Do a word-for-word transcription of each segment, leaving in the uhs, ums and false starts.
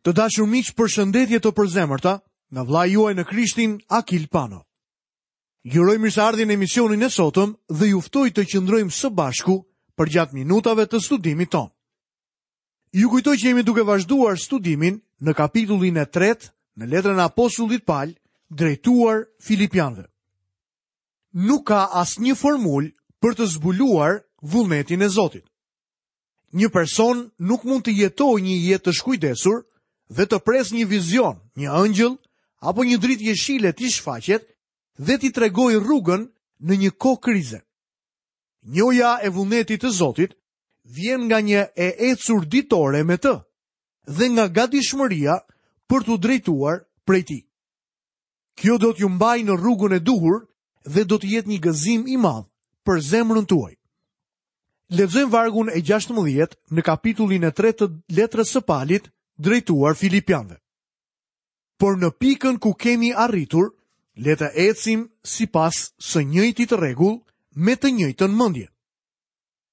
Të dashur miq, përshëndetje të përzemërta nga vëllai juaj në Krishtin, Akil Pano. Ju uroj mirëseardhjen në emisionin e sotëm dhe ju ftoj të qëndrojmë së bashku përgjatë minutave të studimit tonë. Ju kujtoj që jemi duke vazhduar studimin në kapitullin e tretë në letrën e apostullit Pal drejtuar Filipianëve. Nuk ka asnjë formulë për të zbuluar vullnetin e Zotit. Një person nuk mund të jetojë një jetë të shkujdesur dhe të presë një vizion, një ëngjëll apo një dritë jeshile t'i shfaqet dhe t'i tregojë rrugën në një kohë krize. Njohja e vullnetit të Zotit vjen nga një e ecur ditore me të dhe nga gatishmëria për t'u drejtuar prej tij. Kjo do t'ju mbajë në rrugën e duhur dhe do të jetë një gëzim i madh për zemrën tuaj. Lexojmë vargun e gjashtëmbëdhjetë në kapitullin e tretë të letrës së Palit drejtuar Filipianëve. Por në pikën ku kemi arritur, le të ecim sipas së njëjtit rregull me të njëjtën mendje.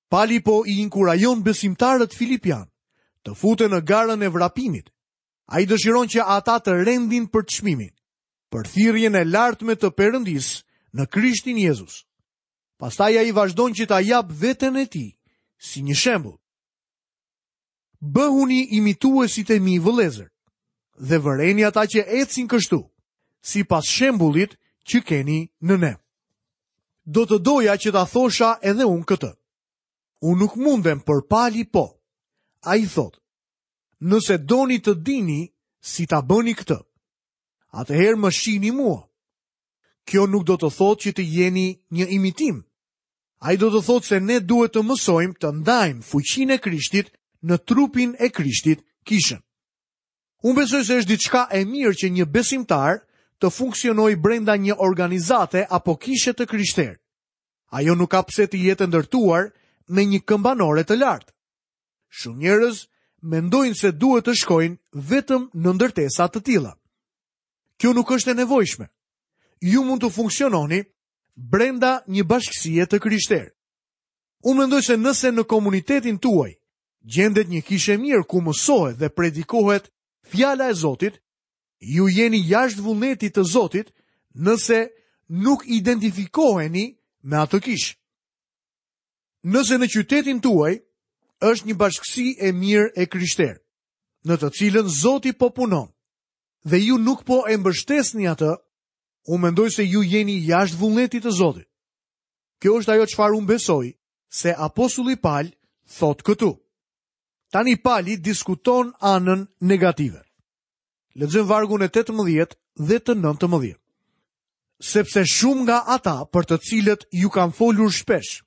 Pali po i inkurajon besimtarët filipian të futen në garën e vrapimit. Ai dëshiron që ata të rendin për çmimin, për thirrjen e lartme të Perëndisë në Krishtin Jezus. Pastaj ai vazhdon që ta jap veten e tij si një shembull. Bëhuni imituesit e mi vëllezër dhe vëreni ata që ecin kështu, sipas shembullit që keni në ne. Do të doja që ta thosha edhe unë këtë. Unë nuk mundem, por Pali po. Ai thotë, nëse doni të dini si ta bëni këtë, atëherë më shihni mua. Kjo nuk do të thotë që të jeni një imitim. Ai do të thotë se ne duhet të mësojmë të ndajmë fuqinë e Krishtit në trupin e Krishtit, kishën. Unë besoj se është diçka e mirë që një besimtar të funksionojë brenda një organizate apo kishe të krishterë. Ajo nuk ka pse të jetë ndërtuar me një këmbanore të lartë. Shumë njerëz mendojnë se duhet të shkojnë vetëm në ndërtesa të tilla. Kjo nuk është e nevojshme. Ju mund të funksiononi brenda një bashkësie të krishterë. Unë mendoj se nëse në komunitetin tuaj gjendet një kishë e mirë ku mësohet dhe predikohet fjala e Zotit, ju jeni jashtë vullnetit të Zotit nëse nuk identifikoheni me atë kishë. Nëse në qytetin tuaj është një bashkësi e mirë e krishterë, në të cilën Zoti po punon, dhe ju nuk po e mbështesni atë, unë mendoj se ju jeni jashtë vullnetit të Zotit. Kjo është ajo çfarë unë besoj se apostulli Pal thotë këtu. Tani Pali diskuton anën negative. Lexojmë vargun e tetëmbëdhjetë dhe të nëntëmbëdhjetë. Sepse shumë nga ata për të cilët ju kam folur shpesh,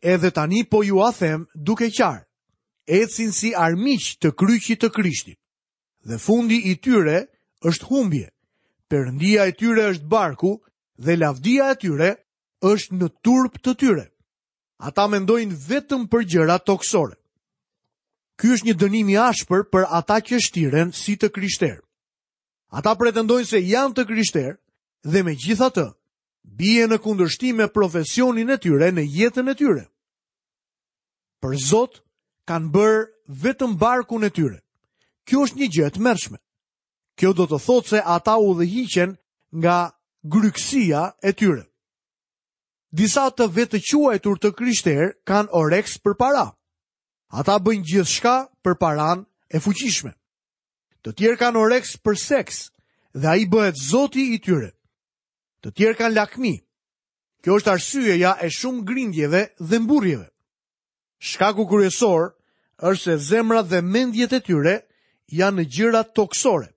edhe tani po ju a them duke qarë, ecin si armiq të kryqit të Krishtit. Dhe fundi i tyre është humbje. Perëndia e tyre është barku dhe lavdia e tyre është në turp të tyre. Ata mendojnë vetëm për gjëra tokësore. Ky është një dënim i ashpër për ata që shtiren si të krishterë. Ata pretendojnë se janë të krishterë dhe megjithatë bien në kundërshtim me profesionin e tyre në jetën e tyre. Për Zot kanë bërë vetëm barkun e tyre. Kjo është një gjë e tmerrshme. Kjo do të thotë se ata udhëhiqen nga grykësia e tyre. Disa të vetëquajtur të krishterë kanë oreks për para. Ata bëjnë gjithçka për paran e fuqishme. Të tjerë kanë oreks për seks dhe ai bëhet zoti i tyre. Të tjerë kanë lakmi. Kjo është arsyeja e shumë grindjeve dhe mburrjeve. Shkaku kryesor është se zemrat dhe mendjet e tyre janë në gjëra tokësore.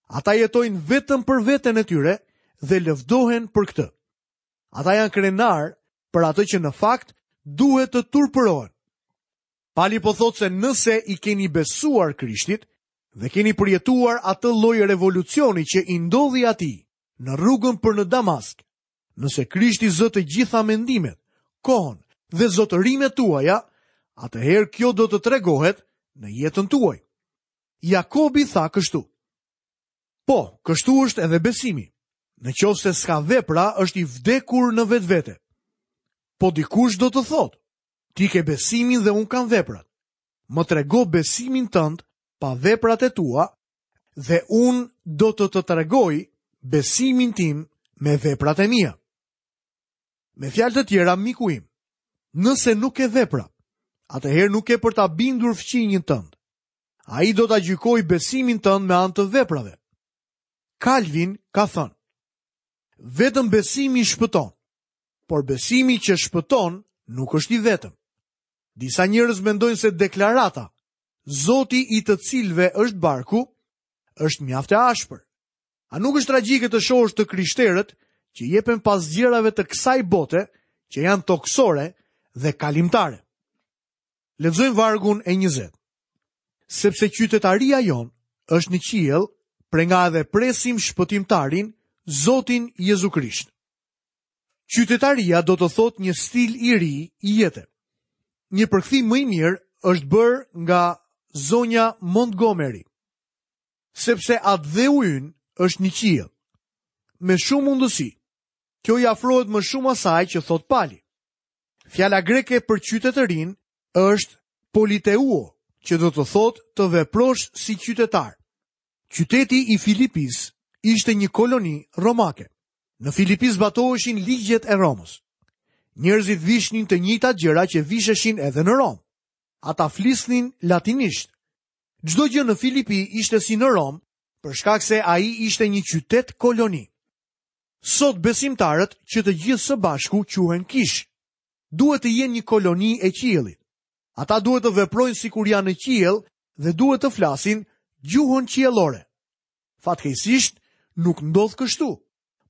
Ata jetojnë vetëm për veten e tyre dhe lëvdohen për këtë. Ata janë krenar për atë që në fakt duhet të turpërohen. Pali po thotë se nëse i keni besuar Krishtit dhe keni përjetuar atë lloj revolucioni që i ndodhi atij në rrugën për në Damask, nëse Krishti zë të gjitha mendimet, kohën dhe zotërimet tuaja, atëherë kjo do të tregohet në jetën tuaj. Jakobi tha kështu: Po, kështu është edhe besimi. Në qoftë se s'ka vepra, është i vdekur në vetvete. Po dikush do të thotë: ti ke besimin dhe unë kam veprat. Më trego besimin tënd pa veprat e tua Dhe unë do të të tregoj besimin tim me veprat e mia. Me fjalë të tjera, miku im, nëse nuk ke vepra, atëherë nuk ke për ta bindur fqinjin tënd. Ai do ta gjykojë besimin tënd me anë të veprave. Calvin ka thënë: vetëm besimi shpëton, por besimi që shpëton nuk është i vetëm. Disa njerëz mendojnë se deklarata Zoti i të cilëve është barku është mjaft e ashpër. A nuk është tragjike të shohësh të krishterët që jepen pas gjërave të kësaj bote që janë toksore dhe kalimtare? Lexojmë vargun e njëzet. Sepse qytetaria jonë është në qiell, prej nga edhe presim shpëtimtarin, Zotin Jezu Krisht. Qytetaria do të thotë një stil i ri i jete. Një përkthim më i mirë është bërë nga zonja Montgomery. Sepse atdheu ynë është në qiell. Me shumë mundësi, kjo i afrohet më shumë asaj që thot Pali. Fjala greke për qytetërinë është politeuo, që do të thotë të veprosh si qytetar. Qyteti i Filipis ishte një koloni romake. Në Filipi zbatoheshin ligjet e Romës. Njerëzit vishnin të njëjtat gjëra që visheshin edhe në Romë. Ata flisnin latinisht. Çdo gjë në Filipi ishte si në Romë, për shkak se ai ishte një qytet koloni. Sot besimtarët që të gjithë së bashku quhen kish, duhet të jenë një koloni e qiellit. Ata duhet të veprojnë sikur janë në qiell dhe duhet të flasin gjuhën qiellore. Fatkeqësisht nuk ndodh kështu,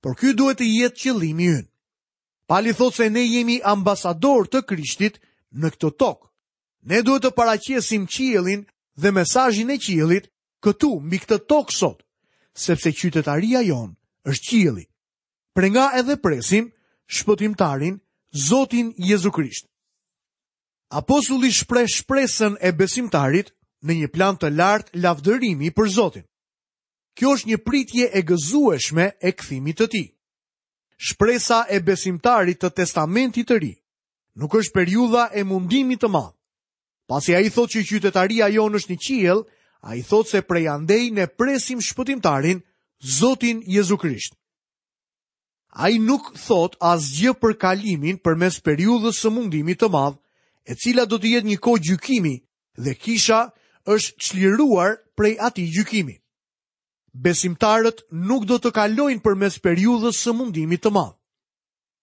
por ky duhet të jetë qëllimi ynë. Pali thotë se ne jemi ambasador të Krishtit në këtë tokë. Ne duhet të paraqesim qiellin dhe mesazhin e qiellit këtu mbi këtë tokë sot, sepse qytetaria jonë është qielli. Prej nga edhe presim shpëtimtarin, Zotin Jezu Krisht. Apostulli shpreh shpresën e besimtarit në një plan të lartë lavdërimi për Zotin. Kjo është një pritje e gëzueshme e kthimit të tij. Shpresa e besimtarit të Testamentit të Ri nuk është periudha e mundimit të madh. Pasi ai thotë që qytetaria jonë është në qiell, ai thotë se prej andej ne presim shpëtimtarin, Zotin Jezu Krisht. Ai nuk thotë asgjë për kalimin përmes periudhës së mundimit të madh, e cila do të jetë një kohë gjykimi dhe kisha është çliruar prej atij gjykimi. Besimtarët nuk do të kalojnë përmes periudhës së mundimit të madh.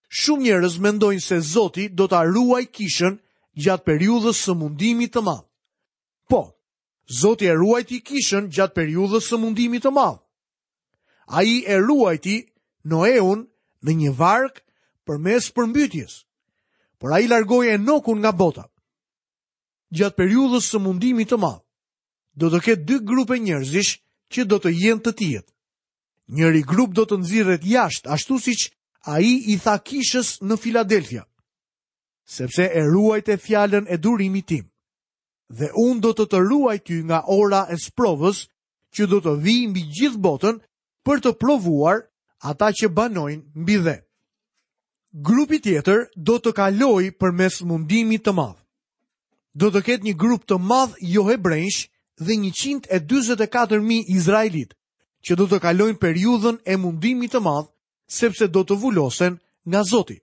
Shumë njerëz mendojnë se Zoti do ta ruajë kishën gjatë periudhës së mundimit të madh. Po, Zoti e ruajti kishën gjatë periudhës së mundimit të madh. Ai e ruajti Noeun në një varkë përmes përmbytjes, por ai largoi Enokun nga bota. Gjatë periudhës së mundimit të madh, do të ketë dy grupe njerëzish që do të jenë të tijët. Njëri grup do të nxirret jashtë, ashtu siç ai i tha kishës në Filadelfia, sepse e ruajte fjalën e durimit tim. Dhe unë do të të ruaj ty nga ora e sprovës që do të vijë mbi gjithë botën për të provuar ata që banojnë mbi dhe. Grupi tjetër do të kalojë përmes mundimit të madh. Do të ketë një grup të madh johebrenjsh dhe njëqind e dyzet e katër mijë izraelit që do të kalojnë periudhën e mundimit të madh, sepse do të vulosen nga Zoti.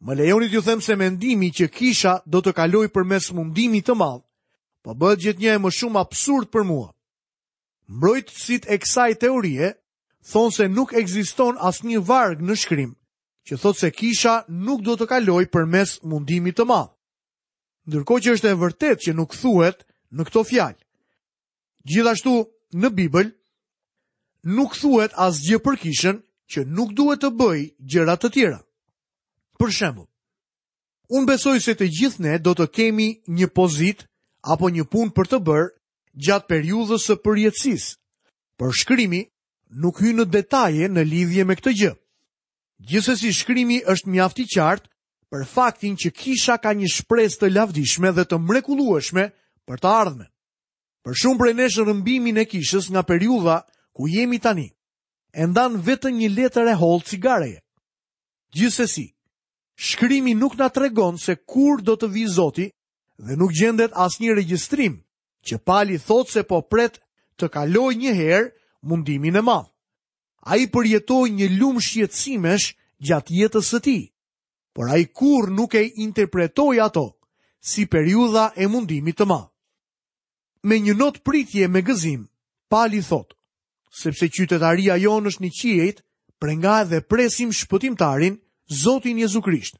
Më lejoni t'ju them se mendimi që kisha do të kalojë përmes mundimit të madh, po bëhet gjithnjë e më shumë absurd për mua. Mbrojtësit e kësaj teorie thonë se nuk ekziston asnjë varg në shkrim që thotë se kisha nuk do të kalojë përmes mundimit të madh. Ndërkohë që është e vërtetë që nuk thuhet në këto fjalë. Gjithashtu në Bibël nuk thuhet asgjë për kishën që nuk duhet të bëjë gjëra të tjera. Për shembull, unë besoj se të gjithë ne do të kemi një pozitë apo një punë për të bërë gjatë periudhës së përjetësisë, por shkrimi nuk hyn në detaje në lidhje me këtë gjë. Gjithsesi shkrimi është mjaft i qartë për faktin që kisha ka një shpresë të lavdishme dhe të mrekullueshme për të ardhmen. Për shumë prej nesh rrëmbimin e kishës nga periudha ku jemi tani, e ndan vetëm një letër e hollë cigareje. Gjithsesi, shkrimi nuk na tregon se kur do të vijë Zoti dhe nuk gjendet asnjë regjistrim që Pali thotë se po pret të kalojë një herë mundimin e madh. Ai përjetoi një lumë shqetësimesh gjatë jetës së tij, por ai kurrë nuk e interpretoi ato si periudha e mundimit të madh. Me një notë pritje me gëzim, Pali thotë, sepse qytetaria jonë është në qiejt, prej nga edhe presim shpëtimtarin, Zotin Jezu Krisht.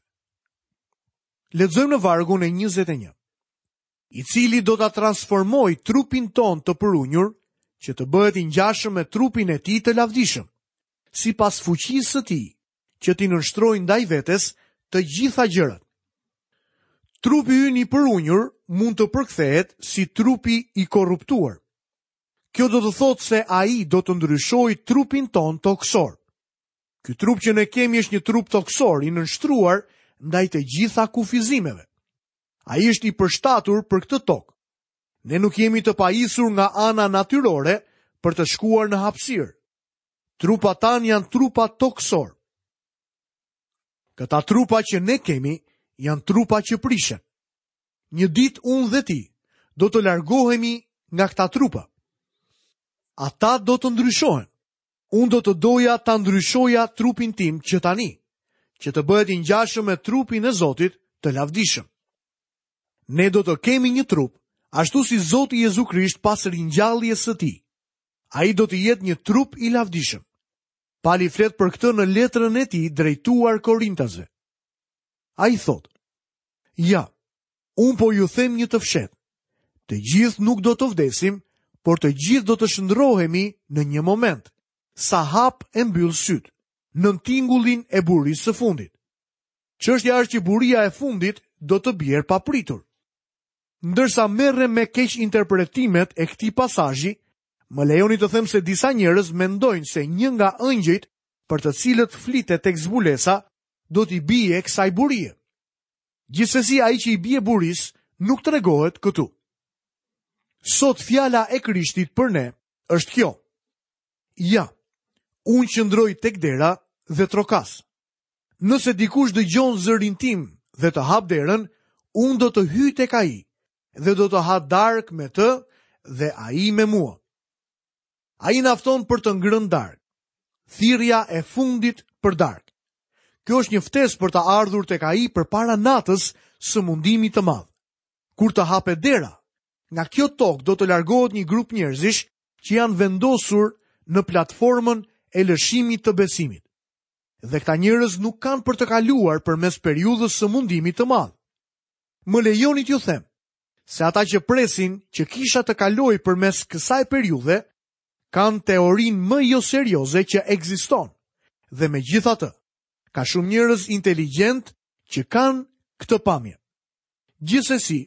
Lexojmë në vargun e njëzet e një. I cili do ta transformojë trupin tonë të përunjur, që të bëhet i ngjashëm me trupin e tij të lavdishëm, sipas fuqisë së tij, që t'i nënshtrojë ndaj vetes të gjitha gjërat. Trupi ynë i përunjur mund të përkthehet si trupi i korruptuar. Kjo do të thotë se ai do të ndryshojë trupin tonë tokësor. Ky trup që ne kemi është një trup tokësor i nënshtruar ndaj të gjitha kufizimeve. Ai është i përshtatur për këtë tokë. Ne nuk jemi të pajisur nga ana natyrore për të shkuar në hapësirë. Trupat tanë janë trupa tokësor. Këta trupa që ne kemi janë trupa që prishen. Një ditë unë dhe ti do të largohemi nga këta trupa. Ata do të ndryshohen. Unë do të doja ta ndryshoja trupin tim që tani, që të bëhet i ngjashëm me trupin e Zotit të lavdishëm. Ne do të kemi një trup, ashtu si Zoti Jezu Krisht pas ringjalljes së tij. Ai do të jetë një trup i lavdishëm. Pali flet për këtë në letrën e tij drejtuar Korintasve. Ai thotë: Ja, unë po ju them një të fshehtë. Të gjithë nuk do të vdesim, por të gjithë do të shndrohemi në një moment, sa hap e mbyll syt, nën tingullin e burisë së fundit. Çështja është që buria e fundit do të bjerë papritur. Ndërsa merrem me keq interpretimet e këtij pasazhi, më lejoni të them se disa njerëz mendojnë se një nga ëngjëjt për të cilët flitet tek zbulesa do t'i bie kësaj burie. Gjithsesi ai që i bie burisë nuk tregohet këtu. Sot fjala e Krishtit për ne është kjo. Ja, unë qëndroj tek dera dhe trokas. Nëse dikush dëgjon zërin tim dhe të hap derën, unë do të hyj tek ai dhe do të ha darkë me të dhe ai me mua. Ai na fton për të ngrënë darkë. Thirrja e fundit për darkë. Kjo është një ftesë për të ardhur tek ai përpara natës së mundimit të madh. Kur të hapet dera, nga kjo tokë do të largohet një grup njerëzish që janë vendosur në platformën e lëshimit të besimit. Dhe këta njerëz nuk kanë për të kaluar përmes periudhës së mundimit të madh. Më lejoni t'ju them se ata që presin që kisha të kalojë përmes kësaj periudhe kanë teorinë më jo serioze që ekziston. Dhe megjithatë, ka shumë njerëz inteligjent që kanë këtë pamje. Gjithsesi,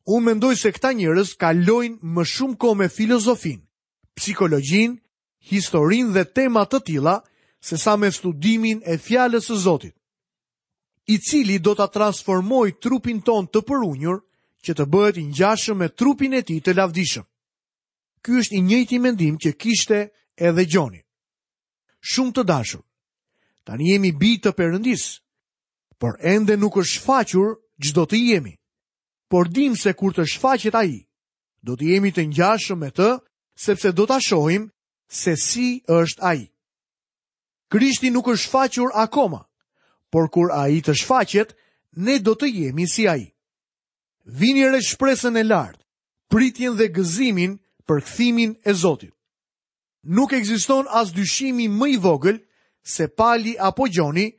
unë mendoj se këta njerëz kalojnë më shumë kohë me filozofinë, psikologjinë, historinë dhe tema të tilla se sa me studimin e fjalës së Zotit, i cili do ta transformojë trupin tonë të përunjur që të bëhet i ngjashëm me trupin e tij të lavdishëm. Ky është i njëjti mendim që kishte edhe Gjoni. Shumë të dashur, tani jemi bij të Perëndisë, por ende nuk është shfaqur ç'do të jemi. Por dim se kur të shfaqet ai, do të jemi të ngjashëm me të, sepse do ta shohim se si është ai. Krishti nuk është shfaqur akoma, por kur ai të shfaqet, ne do të jemi si ai. Vini re shpresën e lartë, pritjen dhe gëzimin për kthimin e Zotit. Nuk ekziston as dyshimi më i vogël se Pali apo Gjoni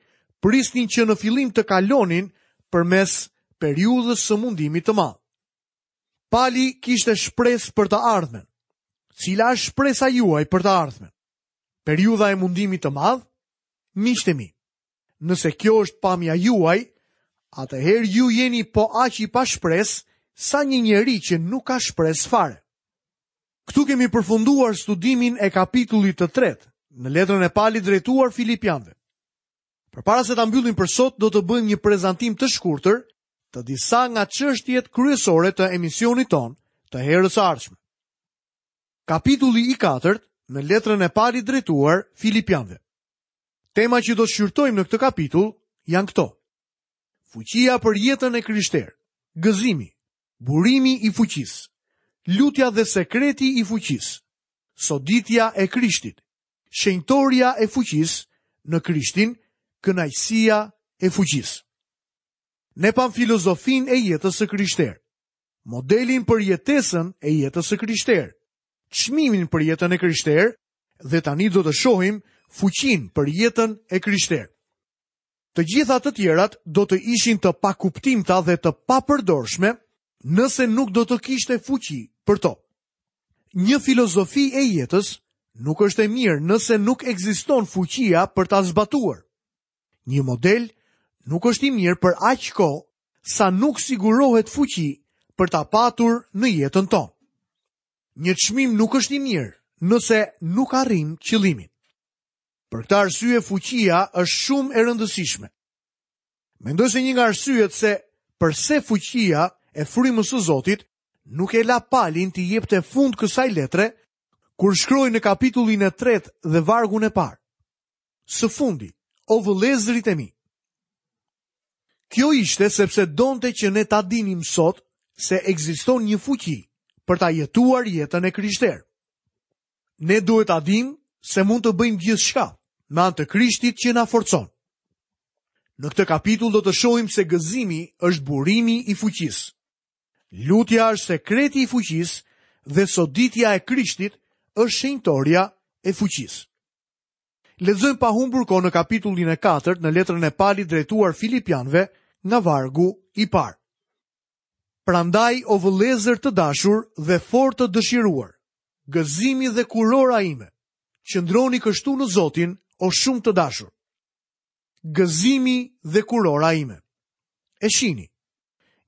prisnin që në fillim të kalonin përmes periudhës së mundimit të madh. Pali kishte shpresë për të ardhmen. Cila është shpresa juaj për të ardhmen? Periudha e mundimit të madh? Miqtë e mi, nëse kjo është pamja juaj, atëherë ju jeni po aq i pashpresë sa një njeri që nuk ka shpresë fare. Këtu kemi përfunduar studimin e kapitullit të tretë në letrën e Palit drejtuar Filipianëve. Përpara se ta mbyllim për sot, do të bëjmë një prezantim të shkurtër të disa nga çështjet kryesore të emisionit ton të herës së ardhshme. Kapitulli i katërt në letrën e Palit drejtuar Filipianëve. Tema që do të shqyrtojmë në këtë kapitull janë këto: fuqia për jetën e krishterë, gëzimi, burimi i fuqisë, lutja dhe sekreti i fuqisë, Soditja e Krishtit, shenjtoria e fuqisë në Krishtin, kënaqësia e fuqisë. Ne pam filozofinë e jetës së krishterë, modelin për jetesën e jetës së krishterë, çmimin për jetën e krishterë dhe tani do të shohim fuqinë për jetën e krishterë. Të gjitha të tjerat do të ishin të pakuptimta dhe të papërdorshme nëse nuk do të kishte fuqi për to. Një filozofi e jetës nuk është e mirë nëse nuk ekziston fuqia për ta zbatuar. Një model nuk është i mirë për aq kohë sa nuk sigurohet fuqi për ta patur në jetën tonë. Një çmim nuk është i mirë nëse nuk arrim qëllimin. Për këtë arsye fuqia është shumë e rëndësishme. Mendoj se një nga arsyet se përse fuqia e frymës së Zotit nuk e la Palin t'i jepte fund kësaj letre kur shkroi në kapitullin e tretë dhe vargun e parë. Së fundi, o vëllezërit e mi. Kjo ishte sepse donte që ne ta dinim sot se ekziston një fuqi për ta jetuar jetën e krishterë. Ne duhet ta dimë se mund të bëjmë gjithçka me anë të Krishtit që na forcon. Në këtë kapitull do të shohim se gëzimi është burimi i fuqisë. Lutja është sekreti i fuqisë dhe soditja e Krishtit është shenjtoria e fuqisë. Lexojmë pa humbur kohë në kapitullin e katërt në letrën e Palit drejtuar Filipianëve nga vargu i parë. Prandaj o vëllezër të dashur dhe fort të dëshiruar, gëzimi dhe kurora ime, qëndroni kështu në Zotin, o shumë të dashur. Gëzimi dhe kurora ime. E shini,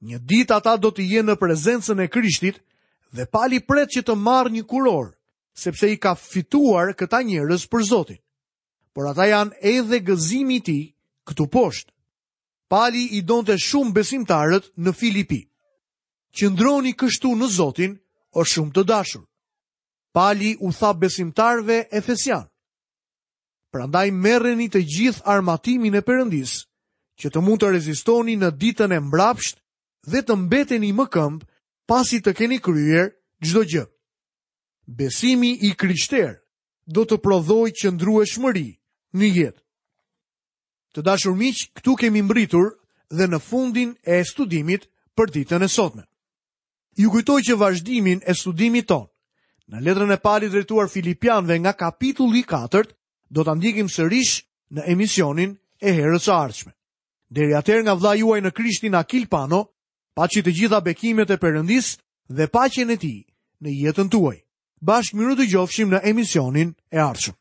një ditë ata do të jenë në prezencën e Krishtit dhe Pali pret që të marrë një kurorë, sepse i ka fituar këta njerëz për Zotin. Por ata janë edhe gëzimi i tij këtu poshtë. Pali i donte shumë besimtarët në Filipi. Qëndroni kështu në Zotin, o shumë të dashur. Pali u tha besimtarëve efesian: Prandaj merreni të gjithë armatimin e Perëndisë, që të mund të rezistoni në ditën e mbrapsht dhe të mbeteni më këmbë pasi të keni kryer çdo gjë. Besimi i krishterë do të prodhojë qëndrueshmëri në jetë. Të dashur miq, këtu kemi mbritur dhe në fundin e studimit për ditën e sotme. Ju kujtoj që vazhdimin e studimit ton në letrën e Palit drejtuar Filipianëve nga kapitulli i katërt do ta ndjekim sërish në emisionin e herës së ardhshme. Deri atëherë nga vëllai juaj në Krishtin Akil Pano, paçi të gjitha bekimet e Perëndisë dhe paqen e tij në jetën tuaj. Bashkë mirë dëgjofshim në emisionin e ardhshëm.